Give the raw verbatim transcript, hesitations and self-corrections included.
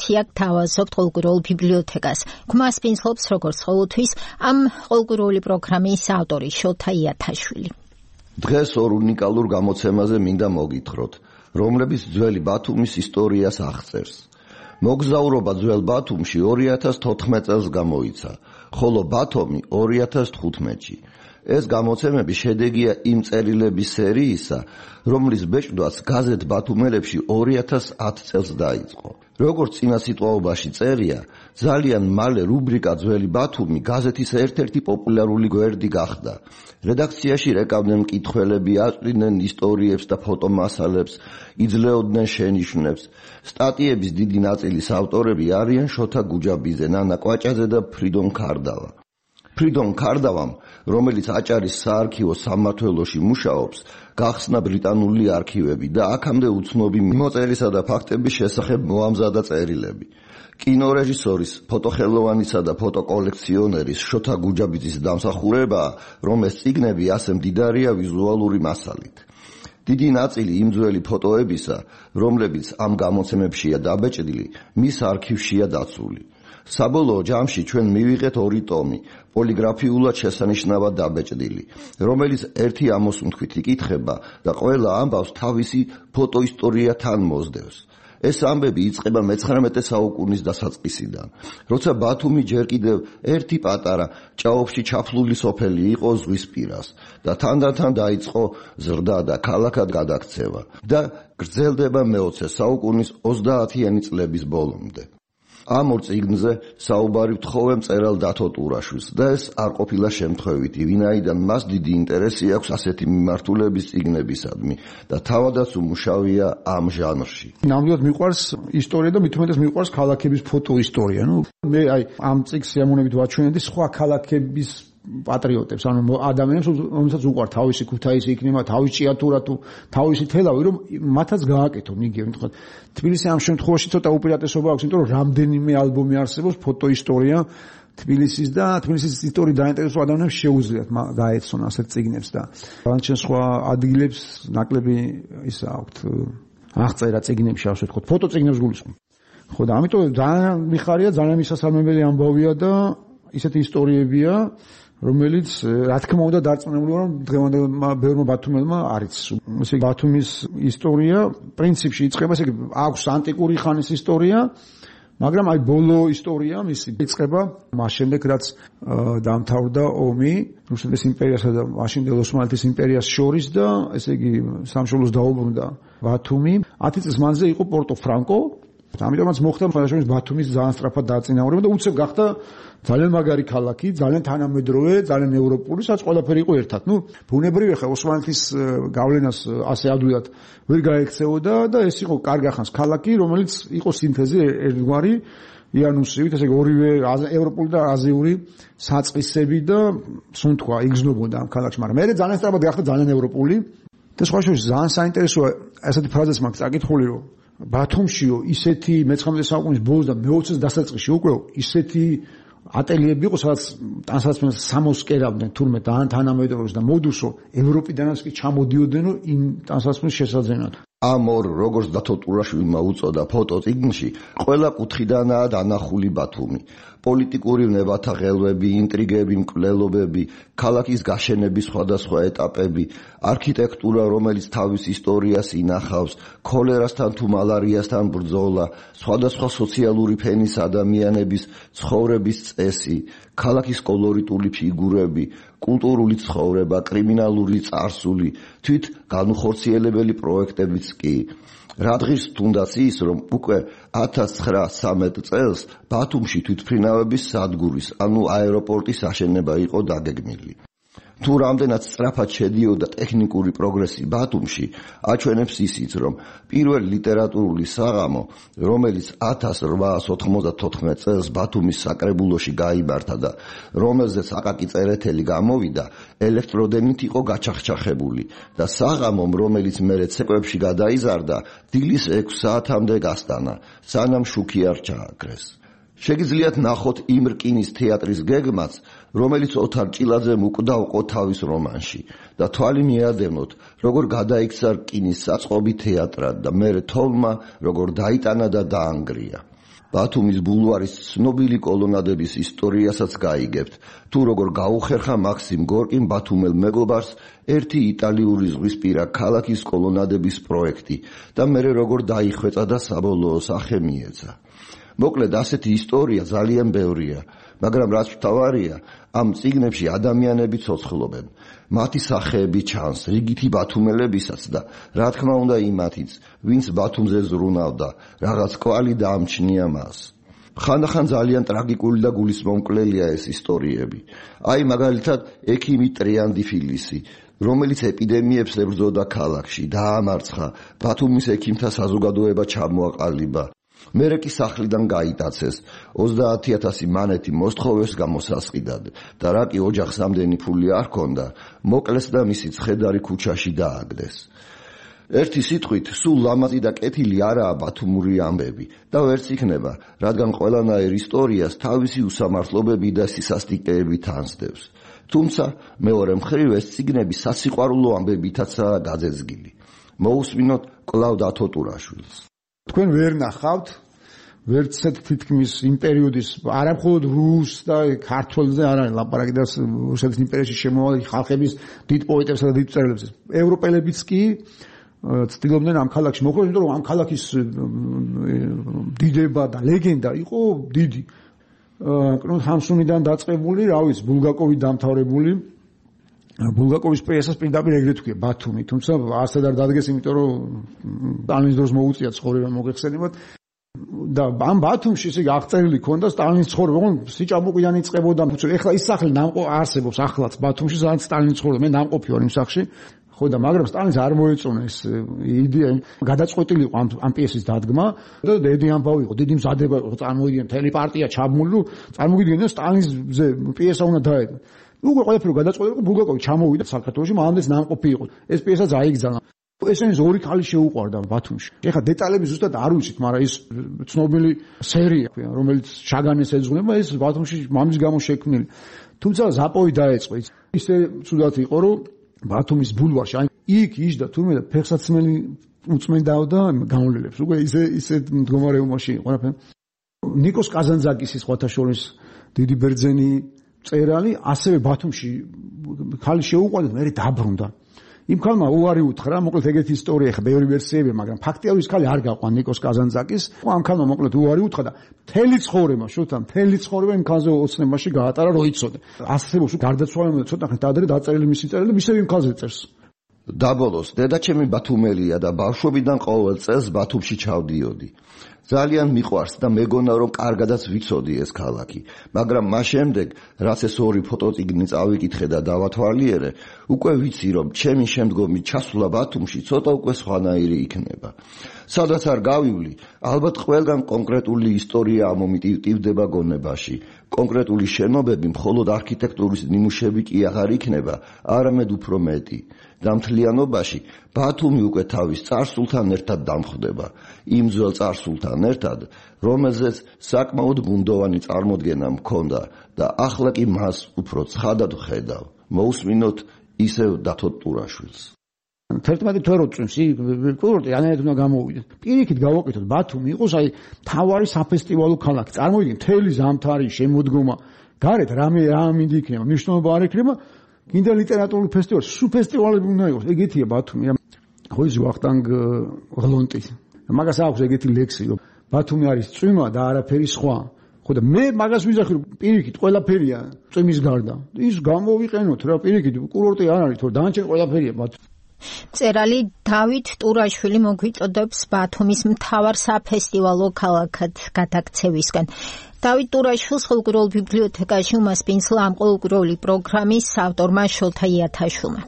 რედაქცია გთავაზობთ ყოლგუროულ ბიბლიოთეკას. ქმას პინძლობს როგორც ყოველთვის ამ ყოლგუროული პროგრამის ავტორი შოთა იათაშვილი. დღეს ორ უნიკალურ გამოცემაზე მინდა მოგითხროთ, რომლებიც ძველი ბათუმის ისტორიას აღწერს. მოგზაურობა ძველ ბათუმში ორი ათას თოთხმეტ წელს გამოიცა, ხოლო ბათუმი ორი ათას თხუთმეტში. ეს გამოცემები შედეგია იმ წერილების სერიისა, რომლის ბეჭდვაც გაზეთ ბათუმელებში ორი ათას ათ წელს დაიწყო. როგორც წინა სიტყვაობაში წერია, ძალიან მალე რუბრიკა ძველი ბათუმი გაზეთის ერთ-ერთი პოპულარული გვერდი გახდა. რედაქციაში რეკავდნენ მკითხველები, აწვდიდნენ ისტორიებს და ფოტომასალებს, იძლეოდნენ შენიშვნებს. სტატიების დიდი ნაწილის ავტორები არიან შოთა გუჯაბიძე, ნანა კვაჭაძე და ფრიდონ ქარდავა. ფრიდონ ქარდავამ, რომელიც აჭარის საარქივო სამმართველოში მუშაობს, გახსნა ბრიტანული არქივები და აქამდე უცნობი მიმოწერისა და ფაქტების შესახებ მოამზადა წერილები. კინორეჟისორის, ფოტოხელოვანისა და ფოტოკოლექციონერის შოთა გუჯაბიძის დამსახურებაა, რომ ეს წიგნები ასე მდიდარია ვიზუალური მასალით. დიდი ნაწილი იმ ძველი ფოტოებისა, რომლებიც ამ გამოცემებშია დაბეჭდილი, მის არქივშია დაცული. საბოლოო ჯამში ჩვენ მივიღეთ ორი ტომი, პოლიგრაფიულად შესანიშნავად დაბეჭდილი, რომელიც ერთი ამოსუნთქვით იკითხება და ყველა ამბავს თავისი ფოტოისტორია თან მოსდევს. ეს ამბები იწყება მეცხრამეტე საუკუნის დასაწყისიდან, როცა ბათუმი ჯერ კიდევ ერთი პატარა ჭაობში ჩაფლული სოფელი იყო ზღვის პირას და თანდათან დაიწყო ზრდა და ქალაქად გადაქცევა და გრძელდება მეოცე საუკუნის ოცდაათიანი წლების ბოლომდე. ამ ორ წიგნზე საუბარი ვთხოვე მწერალ დათო ტურაშვილს და ეს არ ყოფილა შემთხვევითი, ვინაიდან მას დიდი ინტერესი აქვს ასეთი მიმართულების წიგნებისადმი და თავადაც უმუშავია ამ ჟანრში. ნამდვილად მიყვარს ისტორია და მით უმეტეს მიყვარს ქალაქების ფოტოისტორია. ნუ მე აი ამ წიგნს სიამოვნებით ვაჩვენებდი სხვა ქალაქების პატრიოტებს, ანუ ადამიანებს, რომელსაც უყვართ თავისი ქუთაისი იქნება, თავისი ჭიათურა თუ თავისი თელავი, რომ მათაც გააკეთონ იგივე. თქვა თბილისი ამ შემთხვევაში ცოტა უპირატესობა აქვს, იმიტომ რომ რამდენიმე ალბომი არსებობს ფოტოისტორია თბილისის და თბილისის ისტორიით დაინტერესებულ ადამიანებს შეუძლიათ გაეცნონ ასეთ წიგნებს და რანჩენ სხვა ადგილებს ნაკლები ისა აქვთ აღწერა წიგნებში, ასე ვთქვათ, ფოტოწიგნებს გულისხმობ. ხო და ამიტომ ძალიან მიხარია, ძალიან მისასალმებელი ამბავია და ისეთი ისტორიებია, რომელიც რა თქმა უნდა დარწმუნებული ვარ, რომ დღევანდელმა ბევრმა ბათუმელმა არის. ესე ბათუმის ისტორია პრინციპში იწყება, ესე აქვს ანტიკური ხანის ისტორია, მაგრამ აი ბოლო ისტორია მისი იწყება მას შემდეგ, რაც დამთავრდა ომი რუსეთის იმპერიასა და მაშინდელ ოსმალეთის იმპერიას შორის და ესე იგი სამშობლოს დაუბრუნდა ბათუმი. ათი წლის მანძილზე იყო პორტო ფრანკო. ამიტომაც მოხდა შესაძლოა ბათუმის ძალიან სწრაფად დაწინაურება და უცებ გახდა ძალიან მაგარი ქალაქი, ძალიან თანამედროვე, ძალიან ევროპული, სადაც ყველაფერი იყო ერთად. ნუ ბუნებრივია ხა ოსმალეთის გავლენას ასე ადვილად ვერ გაექცეოდა და ეს იყო კარგახანს ქალაქი, რომელიც იყო სინთეზი ერთგვარი იანუსივით, ესე იგი ორივე ევროპული და აზიური საწყისები და სუნთქვა იგრძნობოდა ამ ქალაქში, მაგრამ მე ძალიან სწრაფად გახდა ძალიან ევროპული და სხვა შორის ძალიან საინტერესოა ესეთი ფრაზაც მაქვს წაკითხული, რომ ბათუმშიო ისეთი მეცხრამეტე საუკუნის ბოლოს და მეოცეს დასაწყისში უკვე ისეთი ატელიები იყო, სადაც ტანსაცმელს სამოსკერავდნენ თურმე თანამედროვეს და მოდუსო ევროპიდანაც კი ჩამოდიოდნენ იმ ტანსაცმლის შესაძენად. ამ ორ როგორც დათო ტურაშვილმა უწოდა ფოტოწიგნში, ყველა კუთხიდანაა დანახული ბათუმი. პოლიტიკური ვნებათა ღელვები, ინტრიგები, მკვლელობები, ქალაქის გაშენების სხვადასხვა ეტაპები, არქიტექტურა, რომელიც თავის ისტორიას ინახავს, ქოლერასთან თუ მალარიასთან ბრძოლა, სხვადასხვა სოციალური ფენის ადამიანების ცხოვრების წესი, ქალაქის კოლორიტული ფიგურები, კულტურული ცხოვრება, კრიმინალური წარსული, თვით განუხორციელებელი პროექტებიც კი. რადგის თუნდაც ის, რომ უკვე ათას ცხრაასი წელს ბათუმში თვითმფრინავების სადგურის, ანუ აეროპორტის აშენება იყო დაგეგმილი. თუ რამდენად სწრაფად შედიოდა ტექნიკური პროგრესი ბათუმში, აჩვენებს ისიც, რომ პირველი ლიტერატურული საღამო, რომელიც ათას რვაას ოთხმოცდათოთხმეტ წელს ბათუმის საკრებულოში გაიმართა და რომელზეც აკაკი წერეთელი გამოვიდა, ელექტროდენით იყო გაჩახჩახებული და საღამომ, რომელიც მერე ცეკვებში გადაიზარდა, დილის ექვს საათამდე გასტანა, სანამ შუქი არ ჩააქრეს. შეგიძლიათ ნახოთ იმ რკინის თეატრის გეგმაც, რომელიც ოთარ ჭილაძემ უკვდავყო თავის რომანში და თვალი მიადევნოთ, როგორ გადაიქცა რკინის საწყობი თეატრად და მერე თოვლმა, როგორ დაიტანა და დაანგრია. ბათუმის ბულვარის ცნობილი კოლონადების ისტორიასაც გაიგებთ, თუ როგორ გაუხერხა მაქსიმ გორკიმ ბათუმელ მეგობარს ერთი იტალიური ზღვისპირა ქალაქის კოლონადების პროექტი და მერე როგორ დაიხვეწა და საბოლოო სახე მიეცა. მოკლედ ასეთი ისტორია ძალიან ბევრია, მაგრამ რაც მთავარია, ამ წიგნებში ადამიანები ცოცხლობენ. მათი სახეები ჩანს რიგითი ბათუმელებისაც და რა თქმა უნდა იმათიც, ვინც ბათუმზე ზრუნავდა, რაღაც კვალი დაამჩნია მას. ხანდახან ძალიან ტრაგიკული და გულისმომკლელია ეს ისტორიები. აი მაგალითად ექიმი ტრიანდიფილისი, რომელიც ეპიდემიებს ებრძოდა ქალაქში, დაამარცხა, ბათუმის ექიმთა საზოგადოება ჩამოაყალიბა. მერე კი სახლიდან გაიტაცეს, ოცდაათი ათასი მანეთი მოსთხოვეს გამოსასყიდად და რა კი ოჯახს ამდენი ფული არ ჰქონდა, მოკლეს და მისი ცხედარი ქუჩაში დააგდეს. ერთი სიტყვით, სულ ლამაზი და კეთილი არაა ბათუმური ამბები და ვერც იქნება, რადგან ყველანაირ ისტორიას თავისი უსამართლობები და სისასტიკეები თანსდევს. თუმცა მეორე მხრივ ეს წიგნები სასიყვარულო ამბებითაცაა გაძეძგილი. მოусმინოთ კვლავ დათო ტურაშვილს. თქვენ ვერ ნახავთ ვერცეთ თითქმის იმ პერიოდის არა მხოლოდ რუს და ქართველზე არ არის ლაპარაკი და რუსეთის იმპერიაში შემოვალი ხალხების დიდ პოეტებსა და დიდ მწერლებს. ევროპელებიც კი ცდილობდნენ ამ ქალაქში მოხვდეს, იმიტომ რომ ამ ქალაქის დიდება და ლეგენდა იყო დიდი. კნუდ ჰამსუნიდან დაწყებული, რა ვიცი, ბულგაკოვი დამთავრებული. ბულგაკოვის პრესას პირდაპირ ეგრეთ თქვია ბათუმი, თუმცა ასეთ არ დადგეს, იმიტომ რომ სტალინის დროს მოუწია ცხოვრება მოგეხსენებათ და ამ ბათუმში ისე აღწერილი ქონდა სტალინის ცხოვრება, ოღონდ სიჭაბუკიდან იწყებოდა. ეხლა ის სახლი ნამყოფ არსებობს ახლაც ბათუმში, სადაც სტალინის ცხოვრება, მე ნამყოფი ვარ იმ სახლში. ხო და მაგრამ სტალინს არ მოეწონა ეს იდეა, გადაწყვეტილი იყო ამ ამ პიესის დადგმა და დიდი ამბავი იყო, დიდი მზადება იყო, წარმოვიდგენ მთელი პარტია ჩაბმული, წარმოგიდგენ სტალინზე პიესა უნდა დაედო. უკვე ყველაფერი გადაწყვეტილი იყო, ბულგაკოვი ჩამოვიდა საქართველოში, მანამდე ნამყოფი იყო. ეს პიესაც აიგზავნა. ესენის ორი ქალი შეუყვარდა ბათუმში. ეხლა დეტალები ზუსტად არ ვიცით, მაგრამ ის ცნობილი სერია, რომელიც ჩაგანეს ეძღვნება, ეს ბათუმში მამის გამო შექმნილი. თუმცა ზაპოვი დაეწყო. ისე ცუდად იყო, რომ ბათუმის ბულვარში, აი იქ იჯდა თურმე და ფეხსაცმელი უწმენდაოდა გამოვლენებს. უკვე ისე ისე მდგომარეობაში იყო რა. ნიკოს კაზანძაკის სხვათა შორის დიდი ბერძენი მწერალი, ასევე ბათუმში ხალი შეუყვარდა, მე დაბრუნდა. იმ ხალმა უარი უთხრა, მოკლედ ეგეთი ისტორია, ხა ბევრი ვერსიებია, მაგრამ ფაქტიურად ის ხალი არ გაყვა ნიკოს კაზანძაკის. ამ ხალმა მოკლედ უარი უთხრა და მთელი ცხოვრება, შუთა მთელი ცხოვრება იმ ხალზე ოცნებაში გაატარა, რო იცოდა. არსებობს გარდაცვალებამდე ცოტა ხნით ადრე დაწერილი მისი წერილი, მისე იმ ხალზე წერს. დაბოლოს, დედაჩემი ბათუმელია და ბავშვობიდან ყოველ წელს ბათუმში ჩავდიოდი. ძალიან მიყვარს და მეგონა რომ კარგადაც ვიცოდი ეს ქალაქი, მაგრამ მას შემდეგ, რაც ეს ორი ფოტოწიგნი წავიკითხე და დავათვალიერე, უკვე ვიცი რომ ჩემი შემდგომი ჩასვლა ბათუმში ცოტა უკვე სხვანაირი იქნება. სადაც არ გავივლი, ალბათ ყველგან კონკრეტული ისტორია ამომიტივტივდება გონებაში. კონკრეტული შენობები მხოლოდ არქიტექტურის ნიმუშები კი აღარ იქნება, არამედ უფრო მეტი. და მთლიანობაში ბათუმი უკვე თავის წარსულთან ერთად დამხვდება, იმ ძველ წარსულთან ერთად, რომელზეც საკმაოდ ბუნდოვანი წარმოდგენა მქონდა და ახლა კი მას უფრო ცხადად ვხედავ. მოусმინოთ ისევ დათო ტურაშვილს. თერთმეტი თვე რო წვიმს, კურორტი ანერეთ უნდა გამოვიდეთ. პირიქით გავაკეთოთ, ბათუმი იყოს აი თავარი საფესტივალო ქალაქი. წარმოვიდგინეთ, მთელი ზამთარი შემოდგომა, გარეთ რამე რა მინდა იქნება, მნიშვნელობა არ იქნება. გინდა ლიტერატურული ფესტივალი, სუ ფესტივალები უნდა იყოს. ეგეთია ბათუმი. ხო ის ვახტანგ ღლონტი. მაგას აქვს ეგეთი ლექსი, რომ ბათუმი არის წვიმა და არაფერი სხვა. ხო და მე მაგას ვიზახი, რომ პირიქით ყველაფერია წვიმის გარდა. ის გამოვიყენოთ რა, პირიქით კურორტი არ არის, თორე დანარჩენ ყველაფერია ბათუმი. მწერალი დავით ტურაშვილი მოგვიწოდებს ბათუმის მთავარ საფესტივალო ქალაქად გადაქცევისკენ. დავით ტურაშვილს ხალხურ ბიბლიოთეკაში უმასპინძლა ამ ყოველკვირეული პროგრამის ავტორმა შოთა იათაშვილმა.